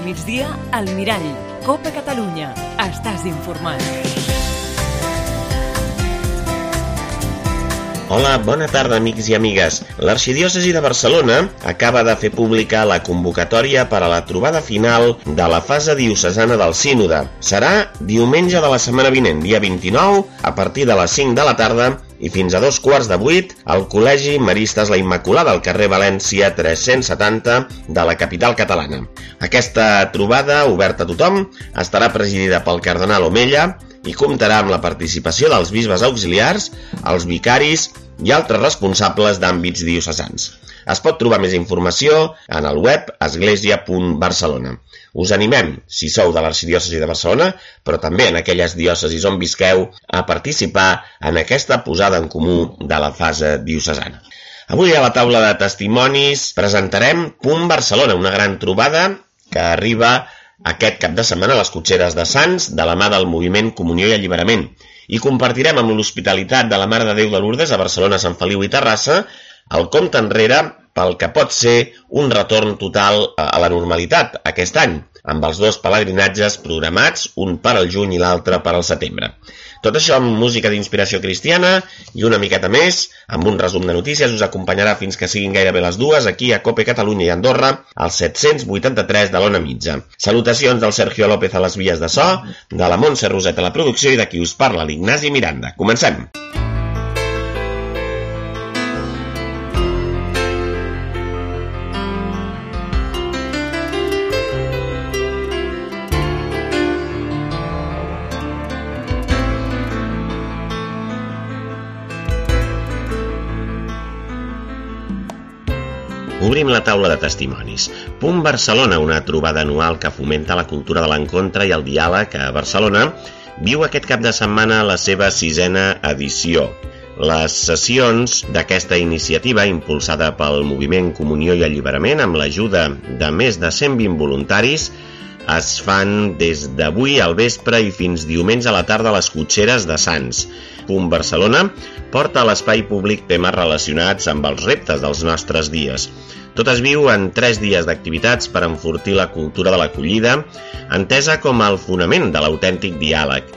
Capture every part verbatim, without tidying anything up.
migdia, al Mirall. Copa Catalunya. Estàs informat. Hola, bona tarda, amics i amigues. L'Arxidiòcesi de Barcelona acaba de fer pública la convocatòria per a la trobada final de la fase diocesana del Sínode. Serà diumenge de la setmana vinent, dia vint-i-nou, a partir de les cinc de la tarda i fins a dos quarts de vuit al Col·legi Maristes la Immaculada al carrer València tres-cents setanta de la capital catalana. Aquesta trobada, oberta a tothom, estarà presidida pel cardenal Omella i comptarà amb la participació dels bisbes auxiliars, els vicaris i altres responsables d'àmbits diocesans. Es pot trobar més informació en el web església punt barcelona. Us animem, si sou de l'Arxidiòcesi de Barcelona, però també en aquelles diòcesis on visqueu, a participar en aquesta posada en comú de la fase diocesana. Avui a la taula de testimonis presentarem Punt Barcelona, una gran trobada que arriba aquest cap de setmana a les Cotxeres de Sants de la mà del moviment Comunió i Alliberament. I compartirem amb l'Hospitalitat de la Mare de Déu de Lourdes a Barcelona, Sant Feliu i Terrassa el compte enrere pel que pot ser un retorn total a la normalitat aquest any, amb els dos pelegrinatges programats, un per al juny i l'altre per al setembre. Tot això amb música d'inspiració cristiana i una miqueta més, amb un resum de notícies, us acompanyarà fins que siguin gairebé les dues aquí a Cope Catalunya i Andorra, al set-cents vuitanta-tres de l'Ona Mitja. Salutacions del Sergio López a les vies de so, de la Montse Roset a la producció i de qui us parla, l'Ignasi Miranda. Comencem! Obrim la taula de testimonis. Punt Barcelona, una trobada anual que fomenta la cultura de l'encontre i el diàleg a Barcelona, viu aquest cap de setmana la seva sisena edició. Les sessions d'aquesta iniciativa, impulsada pel moviment Comunió i Alliberament amb l'ajuda de més de cent vint voluntaris, es fan des d'avui al vespre i fins diumenge a la tarda a les Cotxeres de Sants. Punt Barcelona porta a l'espai públic temes relacionats amb els reptes dels nostres dies. Tot es viu en tres dies d'activitats per enfortir la cultura de l'acollida, entesa com el fonament de l'autèntic diàleg.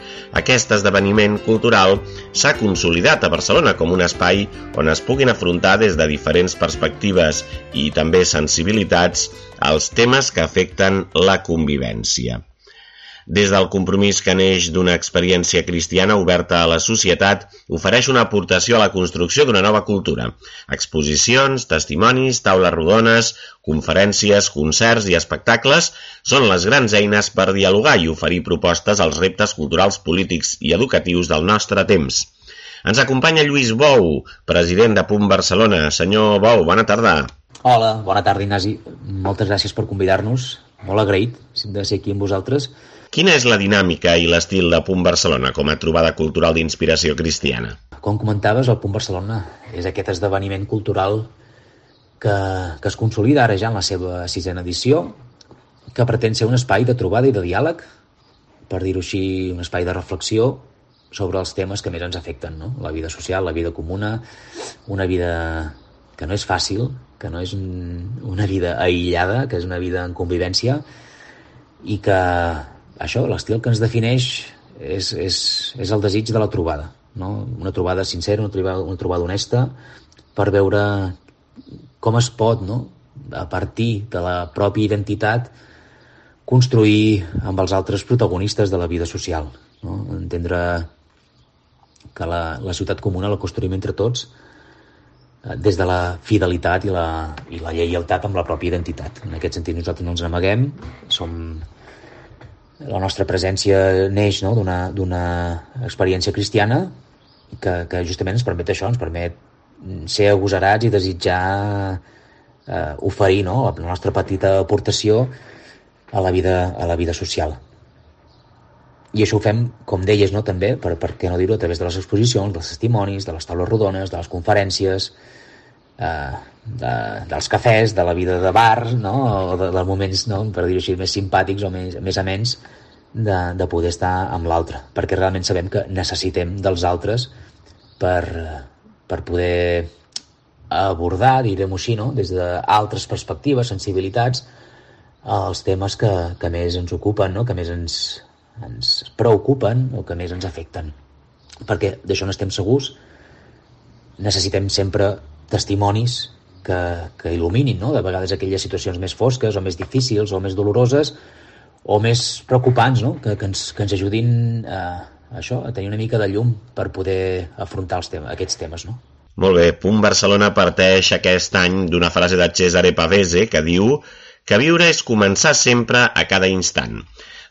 Aquest esdeveniment cultural s'ha consolidat a Barcelona com un espai on es puguin afrontar des de diferents perspectives i també sensibilitats els temes que afecten la convivència. Des del compromís que neix d'una experiència cristiana oberta a la societat, ofereix una aportació a la construcció d'una nova cultura. Exposicions, testimonis, taules rodones, conferències, concerts i espectacles són les grans eines per dialogar i oferir propostes als reptes culturals, polítics i educatius del nostre temps. Ens acompanya Lluís Bou, president de Punt Barcelona. Senyor Bou, bona tarda. Hola, bona tarda, Ignasi. Moltes gràcies per convidar-nos. Molt agraït de ser aquí amb vosaltres. Quina és la dinàmica i l'estil de Punt Barcelona com a trobada cultural d'inspiració cristiana? Com comentaves, el Punt Barcelona és aquest esdeveniment cultural que, que es consolida ara ja en la seva sisena edició, que pretén ser un espai de trobada i de diàleg, per dir-ho així, un espai de reflexió sobre els temes que més ens afecten, no? La vida social, la vida comuna, una vida que no és fàcil, que no és una vida aïllada, que és una vida en convivència i que això, l'estil que ens defineix és, és, és el desig de la trobada, no? Una trobada sincera, una trobada, una trobada honesta, per veure com es pot, no? A partir de la pròpia identitat, construir amb els altres protagonistes de la vida social, no? Entendre que la, la ciutat comuna la construïm entre tots des de la fidelitat i la, i la lleialtat amb la pròpia identitat. En aquest sentit nosaltres no ens n'amaguem, som... La nostra presència neix, no? d'una, d'una experiència cristiana que, que justament ens permet això, ens permet ser agosarats i desitjar eh, oferir, no? la nostra petita aportació a la vida, a la vida social. I això ho fem, com deies, no? també, per, per què no dir-ho, a través de les exposicions, dels testimonis, de les taules rodones, de les conferències, eh, de, dels cafès, de la vida de bar, no? o de, dels moments, no? per dir-ho així, més simpàtics o més, més amens de, de poder estar amb l'altre, perquè realment sabem que necessitem dels altres per, per poder abordar, direm-ho així, no? des d'altres perspectives, sensibilitats, els temes que, que més ens ocupen, no? Que més ens, ens preocupen o que més ens afecten. Perquè d'això n'estem segurs, necessitem sempre testimonis que, que il·luminin, no? De vegades aquelles situacions més fosques o més difícils o més doloroses o més preocupants, no? Que, que, ens, que ens ajudin a, a això, a tenir una mica de llum per poder afrontar els temes, aquests temes, no? Molt bé, Punt Barcelona parteix aquest any d'una frase de Cesare Pavese que diu que viure és començar sempre a cada instant.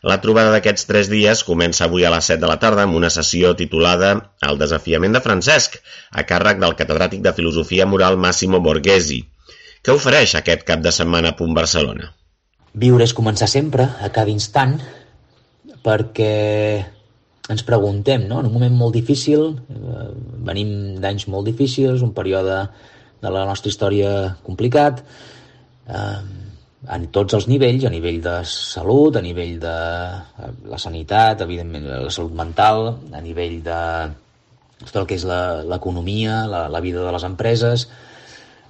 La trobada d'aquests tres dies comença avui a les set de la tarda amb una sessió titulada El desafiament de Francesc, a càrrec del catedràtic de Filosofia Moral Massimo Borghesi. Què ofereix aquest cap de setmana a Punt Barcelona? Viure és començar sempre, a cada instant, perquè ens preguntem, no? En un moment molt difícil, eh, venim d'anys molt difícils, un període de la nostra història complicat, eh, en tots els nivells, a nivell de salut, a nivell de la sanitat, evidentment la salut mental, a nivell de tot el que és l'economia, la, la vida de les empreses,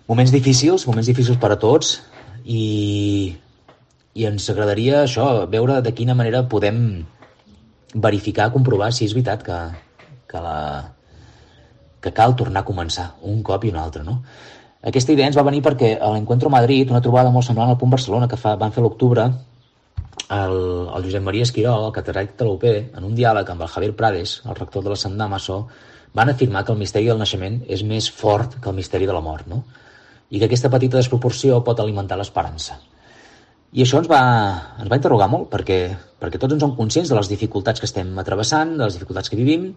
moments difícils, moments difícils per a tots, i, i ens agradaria això, veure de quina manera podem verificar, comprovar si és veritat que, que, la, que cal tornar a començar un cop i un altre, no? Aquesta idea ens va venir perquè a l'Encuentro Madrid, una trobada molt semblant al Punt Barcelona que fa, van fer a l'octubre, el, el Josep Maria Esquirol, el catedràtic de la U P, en un diàleg amb el Javier Prades, el rector de la Sant Damaso, van afirmar que el misteri del naixement és més fort que el misteri de la mort, no? I que aquesta petita desproporció pot alimentar l'esperança. I això ens va, ens va interrogar molt, perquè, perquè tots ens som conscients de les dificultats que estem travessant, de les dificultats que vivim,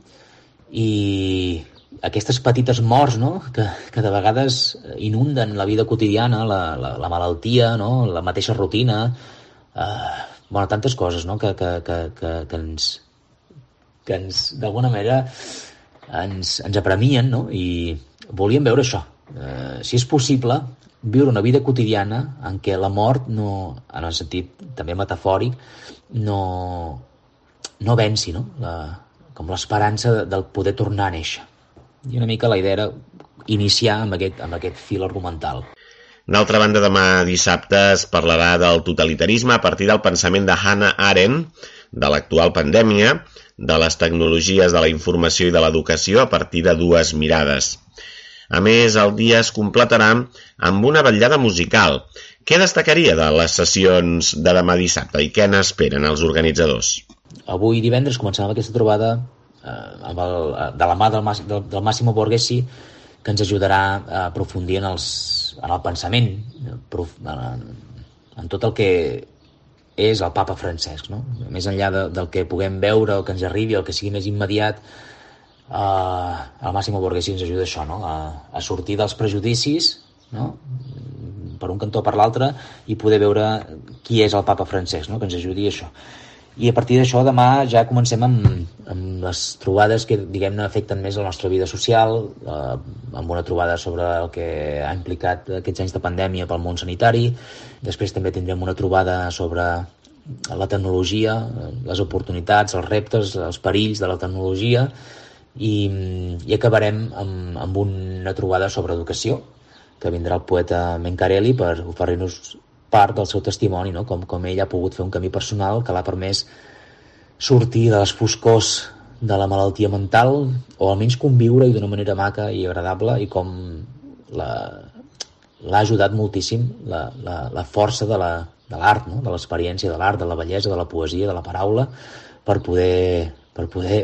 i aquestes petites morts, no? que, que de vegades inunden la vida quotidiana, la, la, la malaltia, no? La mateixa rutina, eh, bueno, tantes coses, no? que, que, que, que, que ens, que ens d'alguna manera ens, ens apremien, no? I volíem veure això. Eh, si és possible, viure una vida quotidiana en què la mort, no, en el sentit també metafòric, no, no venci, no? La, com l'esperança del poder tornar a néixer. I una mica la idea era iniciar amb aquest, amb aquest fil argumental. D'altra banda, demà dissabte es parlarà del totalitarisme a partir del pensament de Hannah Arendt, de l'actual pandèmia, de les tecnologies de la informació i de l'educació a partir de dues mirades. A més, el dia es completarà amb una vetllada musical. Què destacaria de les sessions de demà dissabte i què n'esperen els organitzadors? Avui divendres començarà amb aquesta trobada eh, amb el, de la mà del, del, del Massimo Borghesi, que ens ajudarà a aprofundir en, els, en el pensament, en, en tot el que és el papa Francesc, no? Més enllà de, del que puguem veure o que ens arribi, el que sigui més immediat, eh, el Massimo Borghesi ens ajuda a això, no? a, a sortir dels prejudicis, no? Per un cantó o per l'altre, i poder veure qui és el papa Francesc, no? Que ens ajudi a això. I a partir d'això demà ja comencem amb, amb les trobades que, diguem-ne, afecten més la nostra vida social, eh, amb una trobada sobre el que ha implicat aquests anys de pandèmia pel món sanitari. Després també tindrem una trobada sobre la tecnologia, les oportunitats, els reptes, els perills de la tecnologia, i, i acabarem amb, amb una trobada sobre educació, que vindrà el poeta Mencarelli per oferir-nos part del seu testimoni, no? com, com ell ha pogut fer un camí personal que l'ha permès sortir de les foscors de la malaltia mental, o almenys conviure-hi d'una manera maca i agradable, i com l'ha ajudat moltíssim la, la, la força de la, de l'art, no? De l'experiència de l'art, de la bellesa, de la poesia, de la paraula, per poder, per poder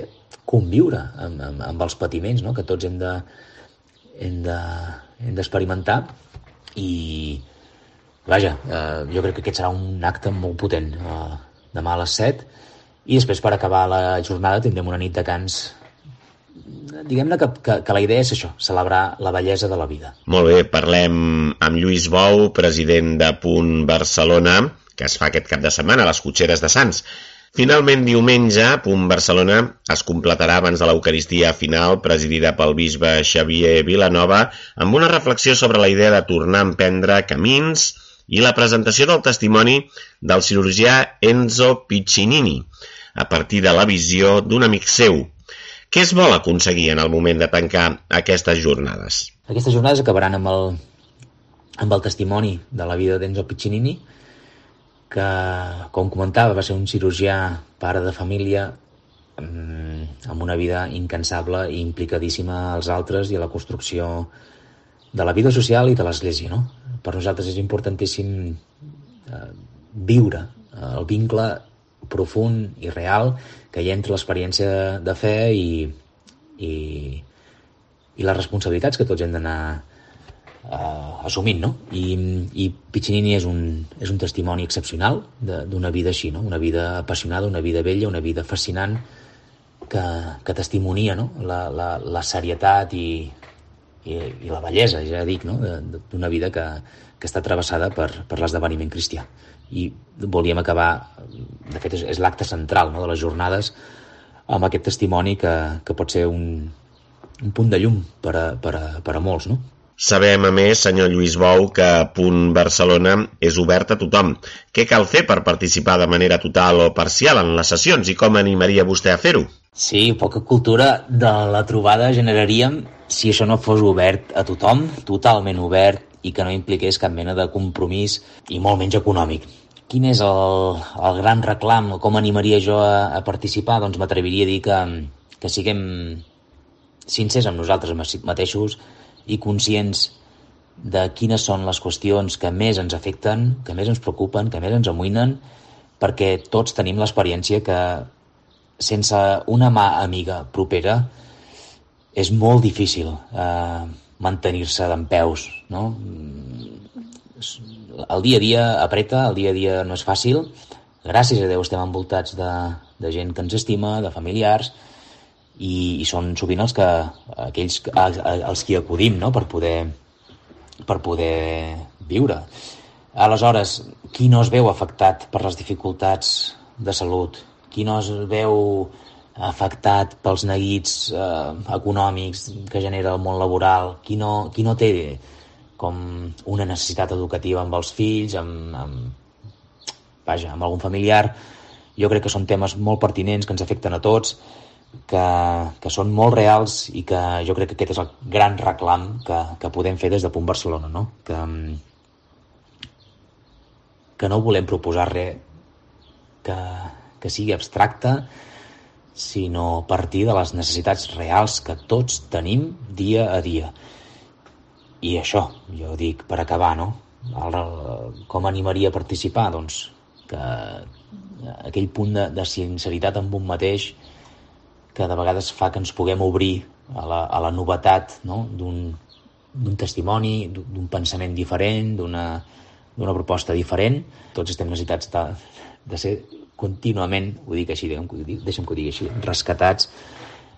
conviure amb, amb, amb els patiments, no? Que tots hem de, hem de, hem d'experimentar. I vaja, eh, jo crec que aquest serà un acte molt potent, eh, demà a les set, i després per acabar la jornada tindrem una nit de cants. Diguem-ne que, que, que la idea és això, celebrar la bellesa de la vida. Molt bé, parlem amb Lluís Bou, president de Punt Barcelona, que es fa aquest cap de setmana a les Cotxeres de Sants. Finalment, diumenge, Punt Barcelona es completarà abans de l'Eucaristia final, presidida pel bisbe Xavier Vilanova, amb una reflexió sobre la idea de tornar a emprendre camins i la presentació del testimoni del cirurgià Enzo Piccinini, a partir de la visió d'un amic seu. Què es vol aconseguir en el moment de tancar aquestes jornades? Aquestes jornades acabaran amb el, amb el testimoni de la vida d'Enzo Piccinini, que, com comentava, va ser un cirurgià, pare de família, amb una vida incansable i implicadíssima als altres i a la construcció de la vida social i de l'Església, no? Per nosaltres és importantíssim eh, viure el vincle profund i real que hi ha entre l'experiència de fe i, i, i les responsabilitats que tots hem d'anar eh, assumint, no? I, i Piccinini és un, és un testimoni excepcional d'una vida així, no? Una vida apassionada, una vida bella, una vida fascinant que, que testimonia, no? la, la, la serietat i, i, i la bellesa, ja dic, no? D'una vida que, que està travessada per, per l'esdeveniment cristià. I volíem acabar, de fet és, és l'acte central, no? de les jornades, amb aquest testimoni que, que pot ser un, un punt de llum per a, per a, per a molts, no? Sabem, a més, senyor Lluís Bou, que Punt Barcelona és obert a tothom. Què cal fer per participar de manera total o parcial en les sessions i com animaria vostè a fer-ho? Sí, poca cultura de la trobada generaríem si això no fos obert a tothom, totalment obert i que no impliqués cap mena de compromís i molt menys econòmic. Quin és el, el gran reclam? Com animaria jo a, a participar? Doncs m'atreviria a dir que, que siguem sincers amb nosaltres mateixos i conscients de quines són les qüestions que més ens afecten, que més ens preocupen, que més ens amoïnen, perquè tots tenim l'experiència que sense una mà amiga propera és molt difícil eh, mantenir-se dempeus, no? El dia a dia apreta, el dia a dia no és fàcil. Gràcies a Déu estem envoltats de, de gent que ens estima, de familiars, i, i són sovint els que aquells a, a, els qui acudim, no? per poder per poder viure. Aleshores, qui no es veu afectat per les dificultats de salut? Qui no es veu afectat pels neguits eh, econòmics que genera el món laboral? Qui no, qui no té com una necessitat educativa amb els fills, amb, amb, vaja, amb algun familiar? Jo crec que són temes molt pertinents, que ens afecten a tots, que, que són molt reals i que jo crec que aquest és el gran reclam que, que podem fer des de Punt Barcelona, no? Que, que no volem proposar res que, que sigui abstracte, sinó partir de les necessitats reals que tots tenim dia a dia. I això, jo dic, per acabar, no? El, com animaria a participar? Doncs que aquell punt de, de sinceritat amb un mateix que de vegades fa que ens puguem obrir a la, a la novetat, no? d'un, d'un testimoni, d'un pensament diferent, d'una, d'una proposta diferent. Tots estem necessitats de, de ser contínuament, ho dic així, deixa'm que ho digui així, rescatats,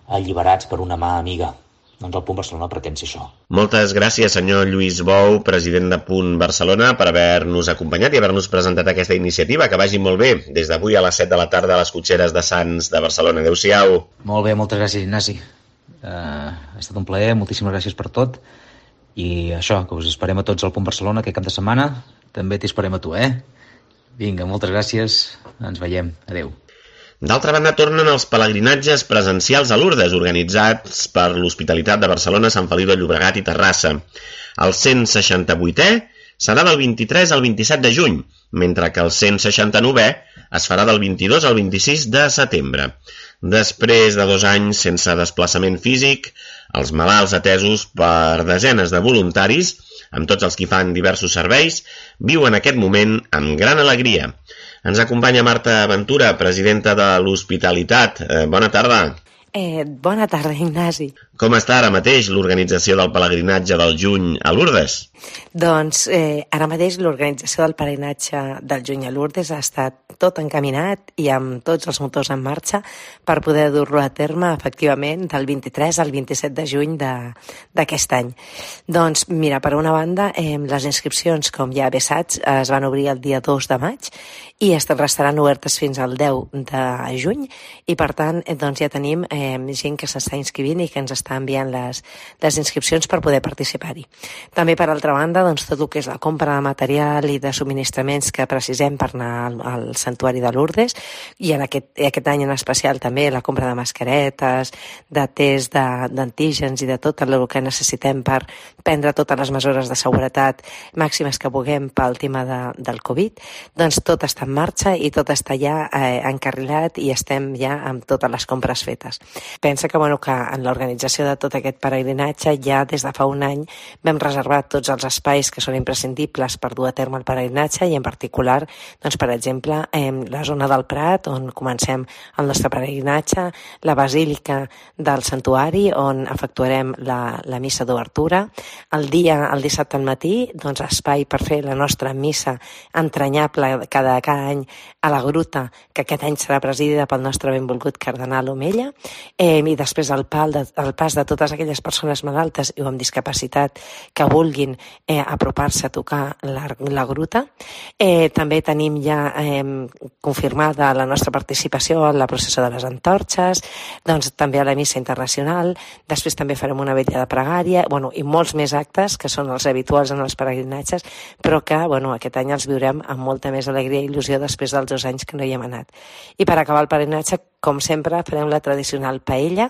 alliberats per una mà amiga. Doncs el Punt Barcelona pretén ser això. Moltes gràcies, senyor Lluís Bou, president de Punt Barcelona, per haver-nos acompanyat i haver-nos presentat aquesta iniciativa. Que vagi molt bé, des d'avui a les set de la tarda a les cotxeres de Sants de Barcelona. Adéu-siau. Molt bé, moltes gràcies, Ignasi. Uh, ha estat un plaer, moltíssimes gràcies per tot. I això, que us esperem a tots al Punt Barcelona aquest cap de setmana. També t'hi esperem a tu, eh? Vinga, moltes gràcies. Ens veiem. Adéu. D'altra banda, tornen els pelegrinatges presencials a Lourdes, organitzats per l'Hospitalitat de Barcelona, Sant Feliu de Llobregat i Terrassa. El cent seixanta-vuitè serà del vint-i-tres al vint-i-set de juny, mentre que el cent seixanta-novè es farà del vint-i-dos al vint-i-sis de setembre. Després de dos anys sense desplaçament físic, els malalts atesos per desenes de voluntaris, amb tots els qui fan diversos serveis, viuen aquest moment amb gran alegria. Ens acompanya Marta Ventura, presidenta de l'Hospitalitat. Eh, bona tarda. Eh, bona tarda, Ignasi. Com està ara mateix l'organització del pelegrinatge del juny a Lourdes? Doncs eh, ara mateix l'organització del pelegrinatge del juny a Lourdes ha estat tot encaminat i amb tots els motors en marxa per poder dur-lo a terme efectivament del vint-i-tres al vint-i-set de juny d'aquest any. Doncs mira, per una banda, eh, les inscripcions, com ja bé saps, es van obrir el dia dos de maig i restaran obertes fins al deu de juny i per tant eh, doncs ja tenim eh, gent que s'està inscrivint i que ens està està enviant les, les inscripcions per poder participar-hi. També, per altra banda, doncs, tot el que és la compra de material i de subministraments que precisem per anar al, al Santuari de Lourdes, i en aquest, aquest any en especial també la compra de mascaretes, de test d'antígens i de tot el que necessitem per prendre totes les mesures de seguretat màximes que puguem pel tema de, del Covid, doncs tot està en marxa i tot està ja eh, encarrilat i estem ja amb totes les compres fetes. Pensa que, bueno, que en l'organització de tot aquest peregrinatge ja des de fa un any vam reservar tots els espais que són imprescindibles per dur a terme el peregrinatge i en particular, doncs, per exemple, eh, la zona del Prat on comencem el nostre peregrinatge, la Basílica del Santuari on efectuarem la, la missa d'obertura, el dia, el dissabte al matí, doncs espai per fer la nostra missa entranyable cada, cada any a la gruta, que aquest any serà presidida pel nostre benvolgut cardenal Omella, eh, i després el, pal de, el pas de totes aquelles persones malaltes i amb discapacitat que vulguin eh, apropar-se a tocar la, la gruta. Eh, també tenim ja eh, confirmada la nostra participació en la processó de les antorxes, doncs també a la missa internacional, després també farem una vetlla de pregària, bueno, i molts més actes que són els habituals en els peregrinatges, però que, bueno, aquest any els viurem amb molta més alegria i il·lusió després dels dos anys que no hi hem anat. I per acabar el peregrinatge, com sempre, farem la tradicional paella,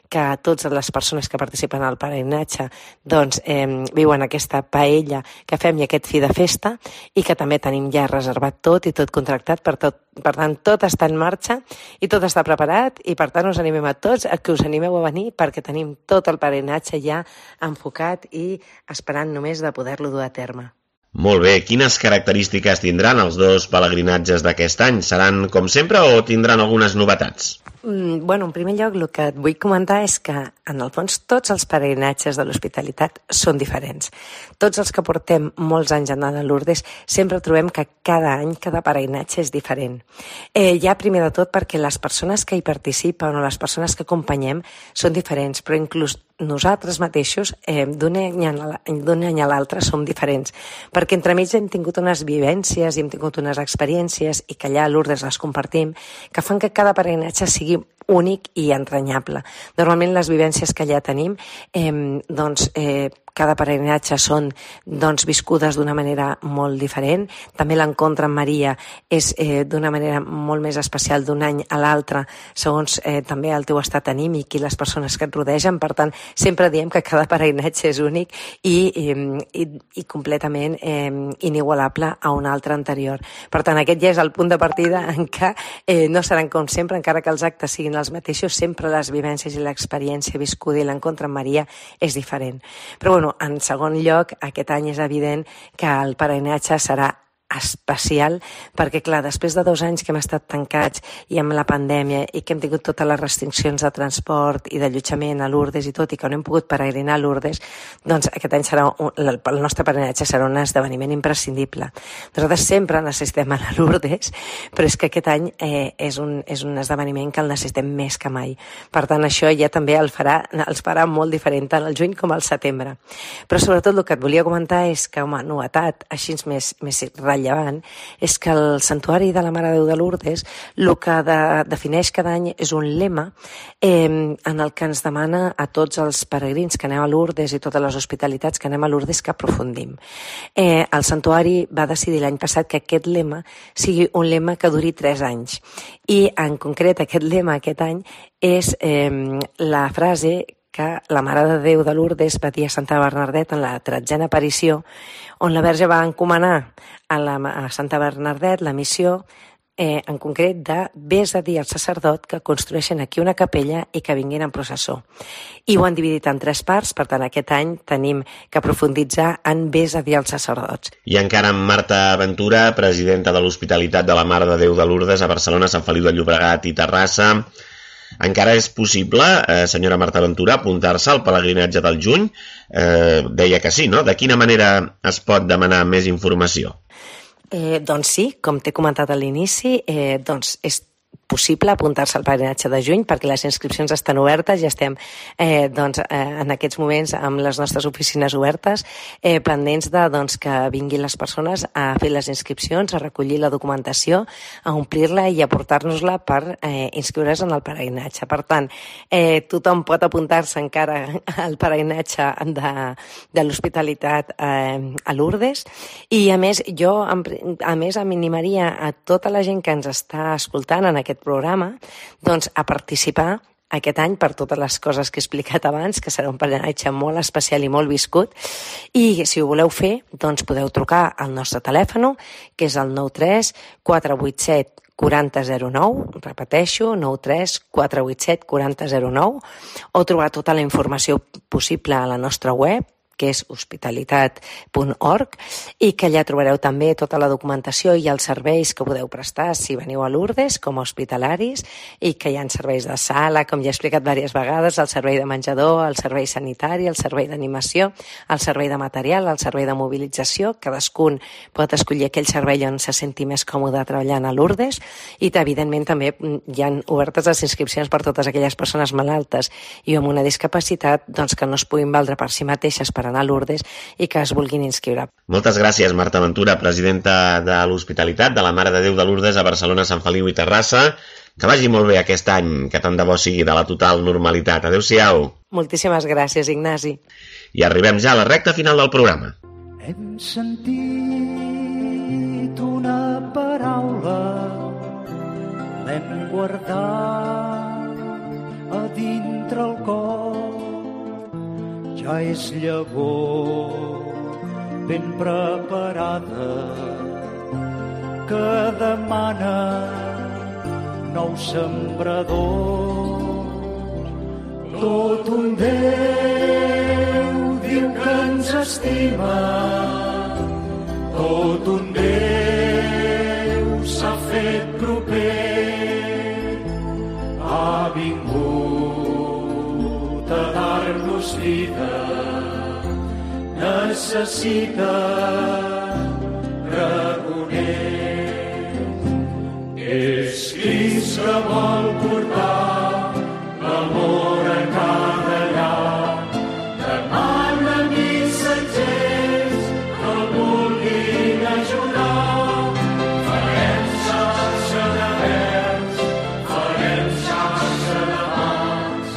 que totes les persones que participen al peregrinatge doncs, eh, viuen aquesta paella que fem i aquest fi de festa, i que també tenim ja reservat tot i tot contractat, per, tot, per tant, tot està en marxa i tot està preparat, i per tant us animem a tots a que us animeu a venir perquè tenim tot el peregrinatge ja enfocat i esperant només de poder-lo dur a terme. Molt bé, quines característiques tindran els dos pelegrinatges d'aquest any? Seran com sempre o tindran algunes novetats? Mm, bueno, en primer lloc, el que et vull comentar és que, en el fons, tots els peregrinatges de l'hospitalitat són diferents. Tots els que portem molts anys anant a Lourdes sempre trobem que cada any, cada peregrinatge és diferent. Eh, ja, primer de tot, perquè les persones que hi participen o les persones que acompanyem són diferents, però inclús nosaltres mateixos eh, d'un any a l'altre som diferents, perquè entremig hem tingut unes vivències i hem tingut unes experiències i que allà a Lourdes les compartim, que fan que cada peregrinatge sigui únic i entranyable. Normalment les vivències que allà tenim, eh, doncs, eh, cada peregrinatge són doncs, viscudes d'una manera molt diferent. També l'encontre amb Maria és eh, d'una manera molt més especial d'un any a l'altre, segons eh, també el teu estat anímic i les persones que et rodegen. Per tant, sempre diem que cada peregrinatge és únic i, i, i, i completament eh, inigualable a un altre anterior. Per tant, aquest ja és el punt de partida en què eh, no seran com sempre, encara que els actes siguin els mateixos, sempre les vivències i l'experiència viscuda i l'encontre amb Maria és diferent. Però, bueno, en segon lloc, aquest any és evident que el peregrinatge serà especial, perquè clar, després de dos anys que hem estat tancats i amb la pandèmia i que hem tingut totes les restriccions de transport i d'allotjament a Lourdes i tot, i que no hem pogut peregrinar a Lourdes, doncs aquest any serà un, el nostre peregrinatge serà un esdeveniment imprescindible. Nosaltres sempre necessitem anar a Lourdes, però és que aquest any eh, és, un, és un esdeveniment que el necessitem més que mai. Per tant, això ja també el farà, els farà molt diferent tant al juny com al setembre. Però sobretot el que et volia comentar és que, home, novetat, així més, més rellevant, és que el Santuari de la Mare de Déu de Lourdes el que de, defineix cada any és un lema eh, en el que ens demana a tots els peregrins que anem a Lourdes i totes les hospitalitats que anem a Lourdes que aprofundim. Eh, el Santuari va decidir l'any passat que aquest lema sigui un lema que duri tres anys, i en concret aquest lema aquest any és eh, la frase que la Mare de Déu de Lourdes va dir a Santa Bernardet en la tretzena aparició, on la Verge va encomanar a, la, a Santa Bernardet la missió, eh, en concret, de vés a dir al sacerdot que construeixen aquí una capella i que vinguin en processó. I ho han dividit en tres parts, per tant, aquest any tenim que profunditzar en vés a dir als sacerdots. I encara amb Marta Ventura, presidenta de l'Hospitalitat de la Mare de Déu de Lourdes a Barcelona, Sant Feliu de Llobregat i Terrassa. Encara és possible, eh, senyora Marta Ventura, apuntar-se al pelegrinatge del juny? Eh, deia que sí, no? De quina manera es pot demanar més informació? Eh, doncs sí, com t'he comentat a l'inici, eh, doncs és possible apuntar-se al peregrinatge de juny, perquè les inscripcions estan obertes, ja estem eh, doncs, eh, en aquests moments amb les nostres oficines obertes, eh, pendents de doncs, que vinguin les persones a fer les inscripcions, a recollir la documentació, a omplir-la i a portar-nos-la per eh, inscriure's en el peregrinatge. Per tant, eh, tothom pot apuntar-se encara al peregrinatge de, de l'hospitalitat eh, a Lourdes, i a més, jo a més em animaria a tota la gent que ens està escoltant en aquest programa, doncs a participar aquest any per totes les coses que he explicat abans, que serà un peregrinatge molt especial i molt viscut, i si ho voleu fer, doncs podeu trucar al nostre telèfon, que és el nou tres quatre vuit set quaranta zero nou, repeteixo, nou tres quatre vuit set quaranta zero nou, o trobar tota la informació possible a la nostra web, que és hospitalitat punt org, i que allà trobareu també tota la documentació i els serveis que podeu prestar si veniu a Lourdes com a hospitalaris, i que hi ha serveis de sala, com ja he explicat diverses vegades, el servei de menjador, el servei sanitari, el servei d'animació, el servei de material, el servei de mobilització. Cadascun pot escollir aquell servei on se senti més còmode treballant a Lourdes, i evidentment també hi ha obertes les inscripcions per totes aquelles persones malaltes i amb una discapacitat doncs, que no es puguin valdre per si mateixes per anar a Lourdes i que es vulguin inscriure. Moltes gràcies, Marta Ventura, presidenta de l'Hospitalitat de la Mare de Déu de Lourdes a Barcelona, Sant Feliu i Terrassa. Que vagi molt bé aquest any, que tant de bo sigui de la total normalitat. Adéu-siau. Moltíssimes gràcies, Ignasi. I arribem ja a la recta final del programa. Hem sentit una paraula, l'hem guardat a dintre el cor. Ja és llavor ben preparada que demana nous sembradors. Tot un Déu diu que ens estima, tot un Déu s'ha fet proper, ha vingut a dar-nos vida, necessita pregoner. És Crist que vol portar l'amor a cada llar, demana missatgers que el vulguin ajudar. Farem xarxa de veus, farem xarxa de mans,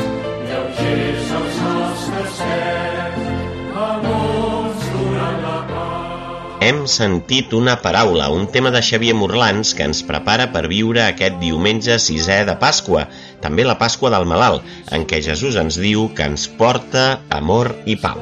lleugers els nostres peus, amors durant la pau. Hem sentit una paraula, un tema de Xavier Morlans que ens prepara per viure aquest diumenge sisè de Pasqua, també la Pasqua del Malalt, en què Jesús ens diu que ens porta amor i pau.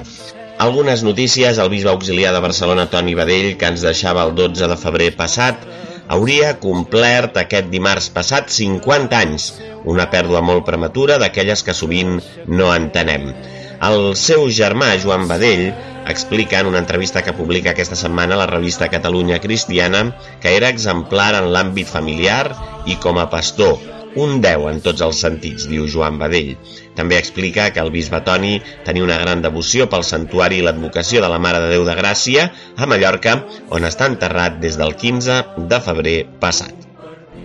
Algunes notícies. El bisbe auxiliar de Barcelona, Toni Badell, que ens deixava el dotze de febrer passat, hauria complert aquest dimarts passat cinquanta anys, una pèrdua molt prematura d'aquelles que sovint no entenem. El seu germà, Joan Badell, explica en una entrevista que publica aquesta setmana a la revista Catalunya Cristiana que era exemplar en l'àmbit familiar i com a pastor, un deu en tots els sentits, diu Joan Badell. També explica que el bisbe Toni tenia una gran devoció pel santuari i l'advocació de la Mare de Déu de Gràcia a Mallorca, on està enterrat des del quinze de febrer passat.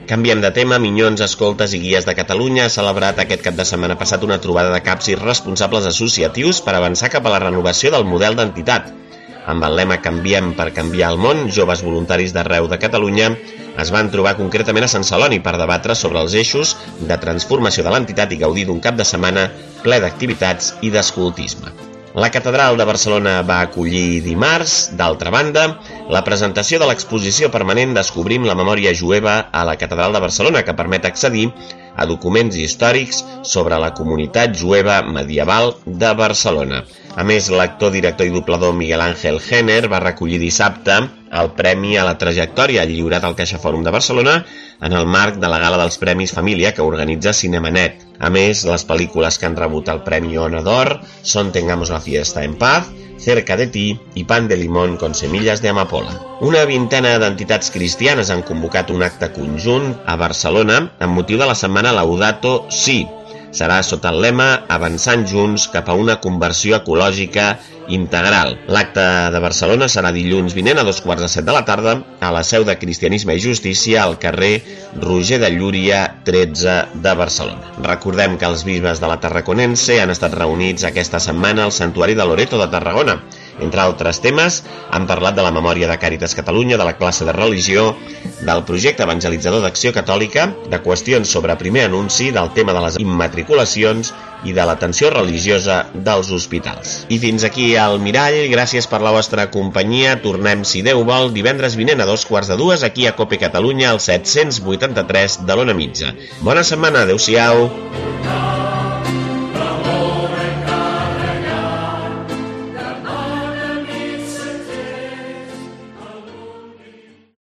Canviem de tema. Minyons, Escoltes i Guies de Catalunya ha celebrat aquest cap de setmana passat una trobada de caps i responsables associatius per avançar cap a la renovació del model d'entitat. Amb el lema Canviem per canviar el món, joves voluntaris d'arreu de Catalunya es van trobar concretament a Sant Celoni per debatre sobre els eixos de transformació de l'entitat i gaudir d'un cap de setmana ple d'activitats i d'escoltisme. La Catedral de Barcelona va acollir dimarts, d'altra banda, la presentació de l'exposició permanent Descobrim la memòria jueva a la Catedral de Barcelona, que permet accedir a documents històrics sobre la comunitat jueva medieval de Barcelona. A més, l'actor, director i doblador Miguel Ángel Jenner va recollir dissabte el Premi a la Trajectòria lliurat al CaixaFòrum de Barcelona en el marc de la Gala dels Premis Família que organitza Cinemanet. A més, les pel·lícules que han rebut el Premi Ona d'Or són Tengamos la fiesta en paz, Cerca de ti i Pan de limón con semillas de amapola. Una vintena d'entitats cristianes han convocat un acte conjunt a Barcelona amb motiu de la setmana Laudato Si. Serà sota el lema Avançant junts cap a una conversió ecològica integral. L'acte de Barcelona serà dilluns vinent a dos quarts de set de la tarda a la seu de Cristianisme i Justícia al carrer Roger de Llúria tretze de Barcelona. Recordem que els bisbes de la Tarraconense han estat reunits aquesta setmana al Santuari de Loreto de Tarragona. Entre altres temes, han parlat de la memòria de Càritas Catalunya, de la classe de religió, del projecte evangelitzador d'Acció Catòlica, de qüestions sobre primer anunci, del tema de les immatriculacions i de l'atenció religiosa dels hospitals. I fins aquí al Mirall, gràcies per la vostra companyia. Tornem, si Déu vol, divendres vinent a dos quarts de dues aquí a Cope Catalunya, al set-cents vuitanta-tres de l'Ona Mitja. Bona setmana, adeu-siau!